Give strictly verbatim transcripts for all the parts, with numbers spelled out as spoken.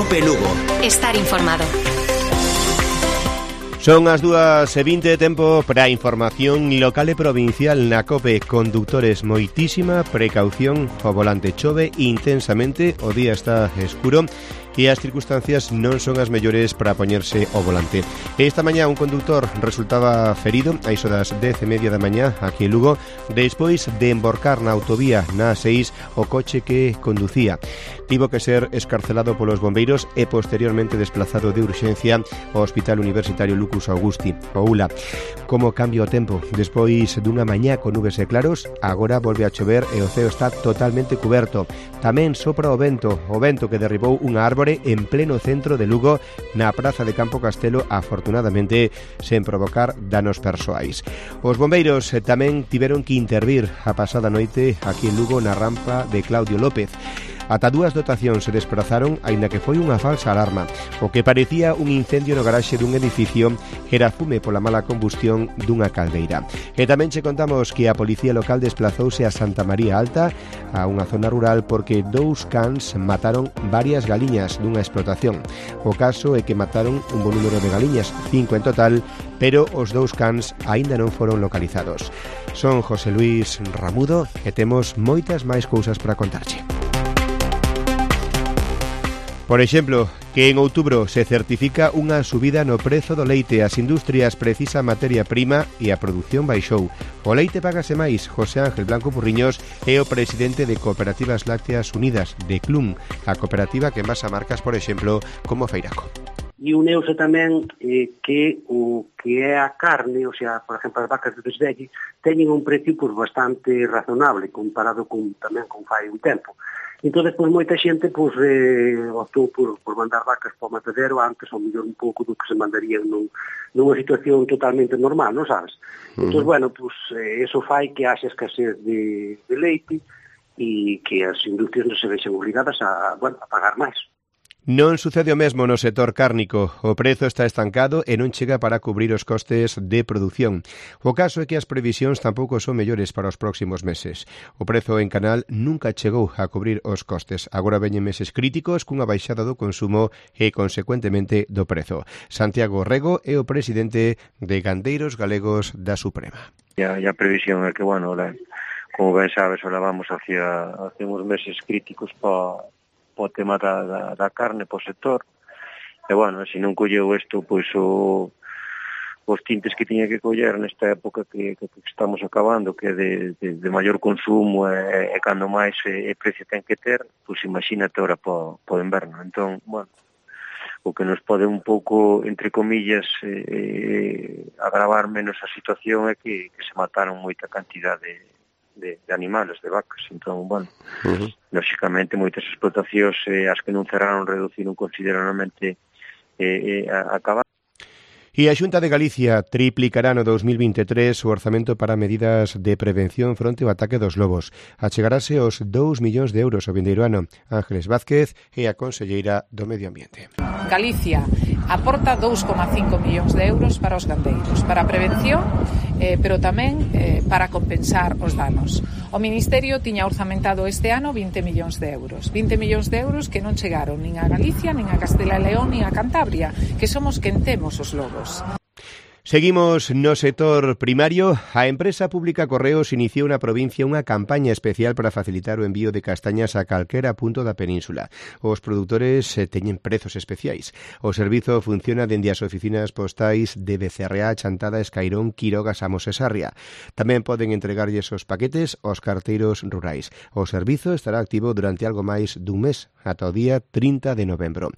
Cope Lugo. Estar informado. Son as dúas e vinte de tempo para a información local e provincial na COPE. Conductores, moitísima precaución ao volante. Chove intensamente, o día está escuro e as circunstancias non son as mellores para poñerse ao volante. Esta mañá un conductor resultaba ferido a iso das dez e media da mañá aquí en Lugo, despois de emborcar na autovía na A seis o coche que conducía. Tivo que ser escarcelado polos bombeiros e posteriormente desplazado de urxencia ao Hospital Universitario Lucus Augusti, o U L A. Como cambia o tempo? Despois dunha mañá con nubes e claros, agora volve a chover e o ceo está totalmente cuberto. Tamén sopra o vento, o vento que derribou unha árbore en pleno centro de Lugo na praza de Campo Castelo, afortunadamente sen provocar danos persoais. Os bombeiros tamén tiveron que intervir a pasada noite aquí en Lugo na rampa de Claudio López. Ata dúas dotacións se desprazaron, aínda que foi unha falsa alarma. O que parecía un incendio no garaxe dun edificio era fume pola mala combustión dunha caldeira. E tamén che contamos que a policía local desplazouse a Santa María Alta, a unha zona rural, porque dous cans mataron varias galiñas dunha explotación. O caso é que mataron un bo número de galiñas, cinco en total, pero os dous cans aínda non foron localizados. Son José Luis Ramudo e temos moitas máis cousas para contarche. Por exemplo, que en outubro se certifica unha subida no prezo do leite. As industrias precisan materia prima e a produción baixou. O leite págase máis. José Ángel Blanco Purriños é o presidente de Cooperativas Lácteas Unidas, de C L U M, a cooperativa que envasa marcas, por exemplo, como Feiraco. E uneuse tamén eh, que o que é a carne, o sea, por exemplo, as vacas de desvelle, teñen un precio pues, bastante razonable comparado con, tamén con fai un tempo. Entón, pois, moita xente pois, eh, optou por, por mandar vacas para o matadero antes, ou mellor un pouco do que se mandarían nun, nunha situación totalmente normal, non sabes? Uh-huh. Entón, bueno, pois, eh, eso fai que haxa escasez de, de leite e que as industrias non se vexen obligadas a, bueno, a pagar máis. Non sucede o mesmo no sector cárnico. O prezo está estancado e non chega para cubrir os costes de produción. O caso é que as previsións tampouco son mellores para os próximos meses. O prezo en canal nunca chegou a cubrir os costes. Agora veñen meses críticos cunha baixada do consumo e, consecuentemente, do prezo. Santiago Rego é o presidente de Gandeiros Galegos da Suprema. E a, a previsión é que, bueno, la, como ben sabes, ahora vamos hacia, hacia uns meses críticos para o tema da, da, da carne po sector, e bueno, se non colleu isto, pois o, os tintes que tiña que coller nesta época que, que, que estamos acabando, que é de, de, de maior consumo e, e cando máis e, e precio ten que ter, pois imagínate ahora po, po inverno. Entón, bueno, o que nos pode un pouco, entre comillas, eh, eh, agravar menos a situación é que, que se mataron moita cantidad de De, de animales, de vacas. Entón, bueno, uh-huh. lógicamente moitas explotacións eh, as que non cerraron reduciron considerablemente eh, eh, a, a acabar. E a Xunta de Galicia triplicará no dos mil vinte e tres o orzamento para medidas de prevención fronte ao ataque dos lobos. Achegarase aos dous millóns de euros o vindeiro ano. Ángeles Vázquez é a conselleira do Medio Ambiente. Galicia aporta dous coma cinco millóns de euros para os gandeiros, para a prevención, eh, pero tamén eh, para compensar os danos. O Ministerio tiña orzamentado este ano vinte millóns de euros. vinte millóns de euros que non chegaron nin a Galicia, nin a Castela e León, nin a Cantabria, que somos quen temos os lobos. Seguimos no sector primario. A empresa pública Correos iniciou na provincia unha campaña especial para facilitar o envío de castañas a calquera punto da península. Os produtores eh, teñen prezos especiais. O servizo funciona dende as oficinas postais de Becerreá, Chantada, Escairón, Quiroga, Samos e Sarria. Tamén poden entregarlles os paquetes aos carteiros rurais. O servizo estará activo durante algo máis dun mes, ata o día trinta de novembro.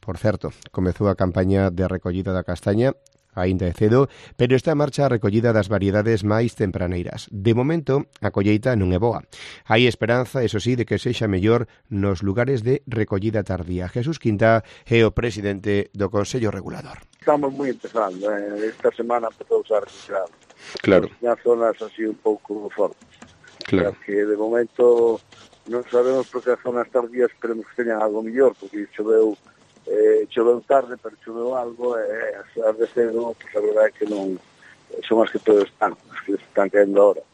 Por certo, comezou a campaña de recollida da castaña aínda é cedo, pero está en marcha a recollida das variedades máis tempraneiras. De momento, a colleita non é boa. Hai esperanza, eso sí, de que sexa mellor nos lugares de recollida tardía. Jesús Quinta é o presidente do Consello Regulador. Estamos moi empezando, eh? Esta semana empezou a recollida. Claro. Nas zonas así un pouco fortes. Claro. Que de momento non sabemos porque as zonas tardías esperemos que teñan algo mellor, porque choveu Eh, choveu tarde, pero choveu algo e eh, as de cedo, pues a verdade é que non son as que todos están, as que están caendo ahora.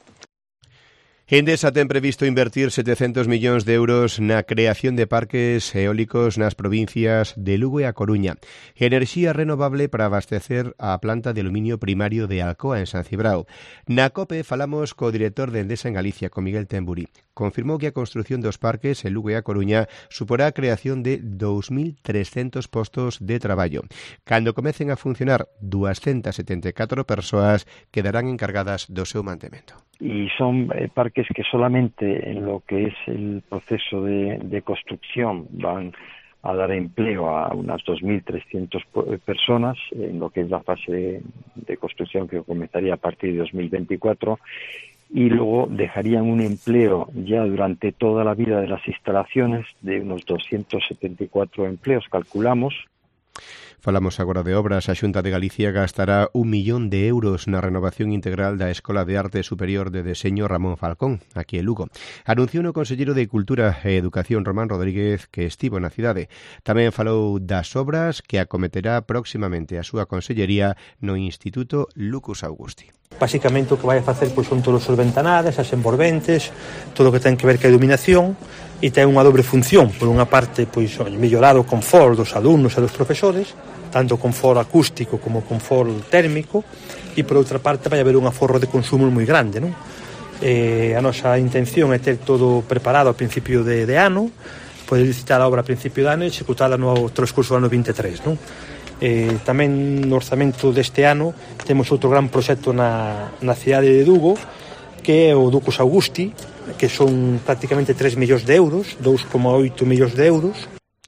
Endesa ten previsto invertir setecentos millóns de euros na creación de parques eólicos nas provincias de Lugo e A Coruña. Enerxía renovable para abastecer a planta de aluminio primario de Alcoa en San Cibrao. Na COPE falamos co director de Endesa en Galicia, con Miguel Temburi. Confirmou que a construción dos parques en Lugo e A Coruña suporá a creación de dous mil trescentos postos de traballo. Cando comecen a funcionar, doscientas setenta e catro persoas quedarán encargadas do seu mantemento. Y son eh, parques que solamente en lo que es el proceso de, de construcción van a dar empleo a unas dos mil trescientas personas en lo que es la fase de, de construcción que comenzaría a partir de dos mil veinticuatro, y luego dejarían un empleo ya durante toda la vida de las instalaciones de unos doscientos setenta y cuatro empleos, calculamos. Falamos agora de obras. A Xunta de Galicia gastará un millón de euros na renovación integral da Escola de Arte Superior de Deseño Ramón Falcón, aquí en Lugo. Anunciou o conselleiro de Cultura e Educación Román Rodríguez que estivo na cidade. Tamén falou das obras que acometerá próximamente a súa consellería no Instituto Lucus Augusti. Basicamente o que vai a facer pois, son todos os ventanales, as envolventes, todo o que ten que ver ca iluminación, e ten unha dobre función. Por unha parte, pois, mellorar o confort dos alumnos e dos profesores, tanto confort acústico como confort térmico, e por outra parte vai haber un aforro de consumo moi grande, non? Eh, a nosa intención é ter todo preparado ao principio de, de ano, poder licitar a obra a principio de ano e executala no transcurso do ano vinte e tres, non? Eh, tamén no orzamento deste ano temos outro gran proxecto na, na cidade de Lugo, que é o Lucus Augusti, que son prácticamente tres millóns de euros, dous coma oito millóns de euros.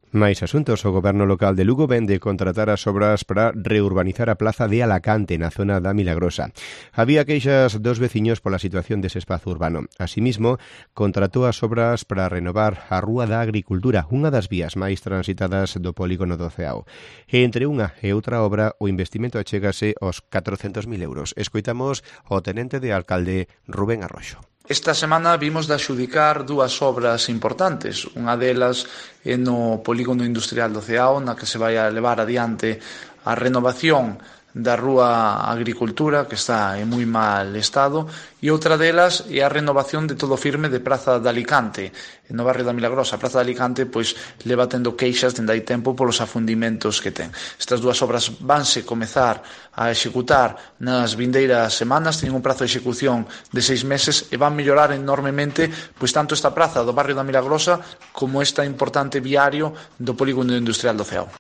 Máis asuntos. O goberno local de Lugo vende contratar as obras para reurbanizar a plaza de Alacante na zona da Milagrosa. Había queixas dos veciños pola situación dese espazo urbano. Asimismo, contratou as obras para renovar a Rúa da Agricultura, unha das vías máis transitadas do polígono do Ceao. E entre unha e outra obra, o investimento achégase aos catrocentos mil euros. Escoitamos o tenente de alcalde Rubén Arroxo. Esta semana vimos de adxudicar dúas obras importantes. Unha delas é no polígono industrial do Ceao, na que se vai a levar adiante a renovación da Rúa Agricultura, que está en moi mal estado, e outra delas é a renovación de todo firme de Praza de Alicante, no barrio da Milagrosa. A Praza de Alicante pois leva tendo queixas dende hai tempo polos afundimentos que ten. Estas dúas obras vanse comezar a executar nas vindeiras semanas, teñen un prazo de execución de seis meses e van mellorar enormemente pois tanto esta praza do barrio da Milagrosa como esta importante viario do polígono industrial do Ceao.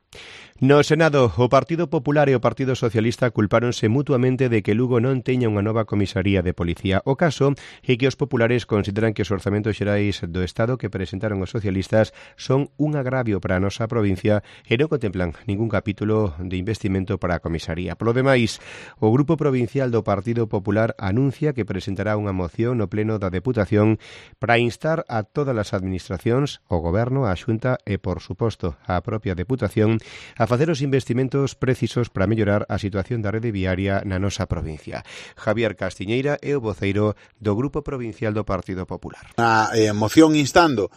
No Senado, o Partido Popular e o Partido Socialista culpáronse mutuamente de que Lugo non teña unha nova comisaría de policía. O caso é que os populares consideran que os orzamentos xerais do Estado que presentaron os socialistas son un agravio para a nosa provincia e non contemplan ningún capítulo de investimento para a comisaría. Polo demais, o Grupo Provincial do Partido Popular anuncia que presentará unha moción no Pleno da Deputación para instar a todas as administracións, o Goberno, a Xunta e, por suposto, a propia Deputación a facer os investimentos precisos para mellorar a situación da rede viaria na nosa provincia. Javier Castiñeira é o voceiro do Grupo Provincial do Partido Popular. A eh, moción instando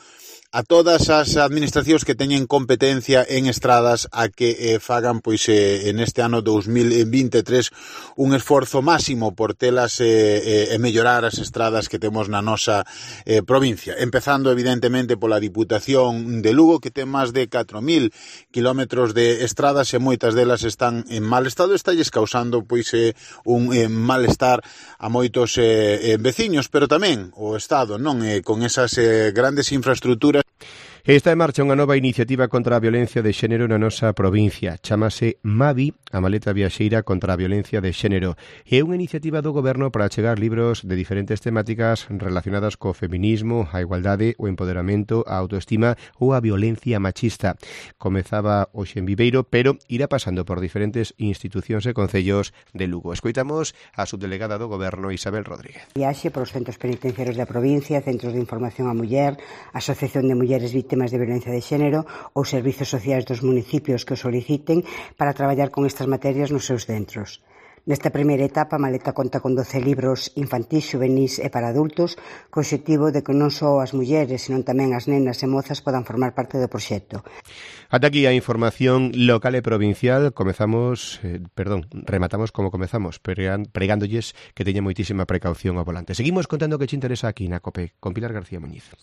a todas as administracións que teñen competencia en estradas a que eh, fagan pois eh, en este ano dos mil vinte e tres un esforzo máximo por telas eh, eh, e mellorar as estradas que temos na nosa eh, provincia. Empezando evidentemente pola Diputación de Lugo, que ten máis de catro mil kilómetros de estradas e moitas delas están en mal estado, estalles causando pois eh, un eh, malestar a moitos eh, eh, veciños, pero tamén o Estado, non eh, con esas eh, grandes infraestructuras. Está en marcha unha nova iniciativa contra a violencia de xénero na nosa provincia. Chámase Mavi, a maleta viaxeira contra a violencia de xénero. É unha iniciativa do Goberno para achegar libros de diferentes temáticas relacionadas co feminismo, a igualdade, o empoderamento, a autoestima ou a violencia machista. Comezaba hoxe en Viveiro, pero irá pasando por diferentes institucións e concellos de Lugo. Escoitamos a subdelegada do Goberno, Isabel Rodríguez. Viaxe por os centros penitenciarios da provincia, centros de información á muller, Asociación de Mulleres Víctimas temas de violencia de xénero ou servizos sociais dos municipios que o soliciten para traballar con estas materias nos seus centros. Nesta primeira etapa, a maleta conta con doce libros infantís, xuvenís e para adultos, co obxectivo de que non só as mulleres, senón tamén as nenas e mozas podan formar parte do proxecto. Ata aquí a información local e provincial. Comezamos, eh, perdón, rematamos como comezamos, pregándolles que teña moitísima precaución ao volante. Seguimos contando que che interesa aquí na COPE con Pilar García Muñiz.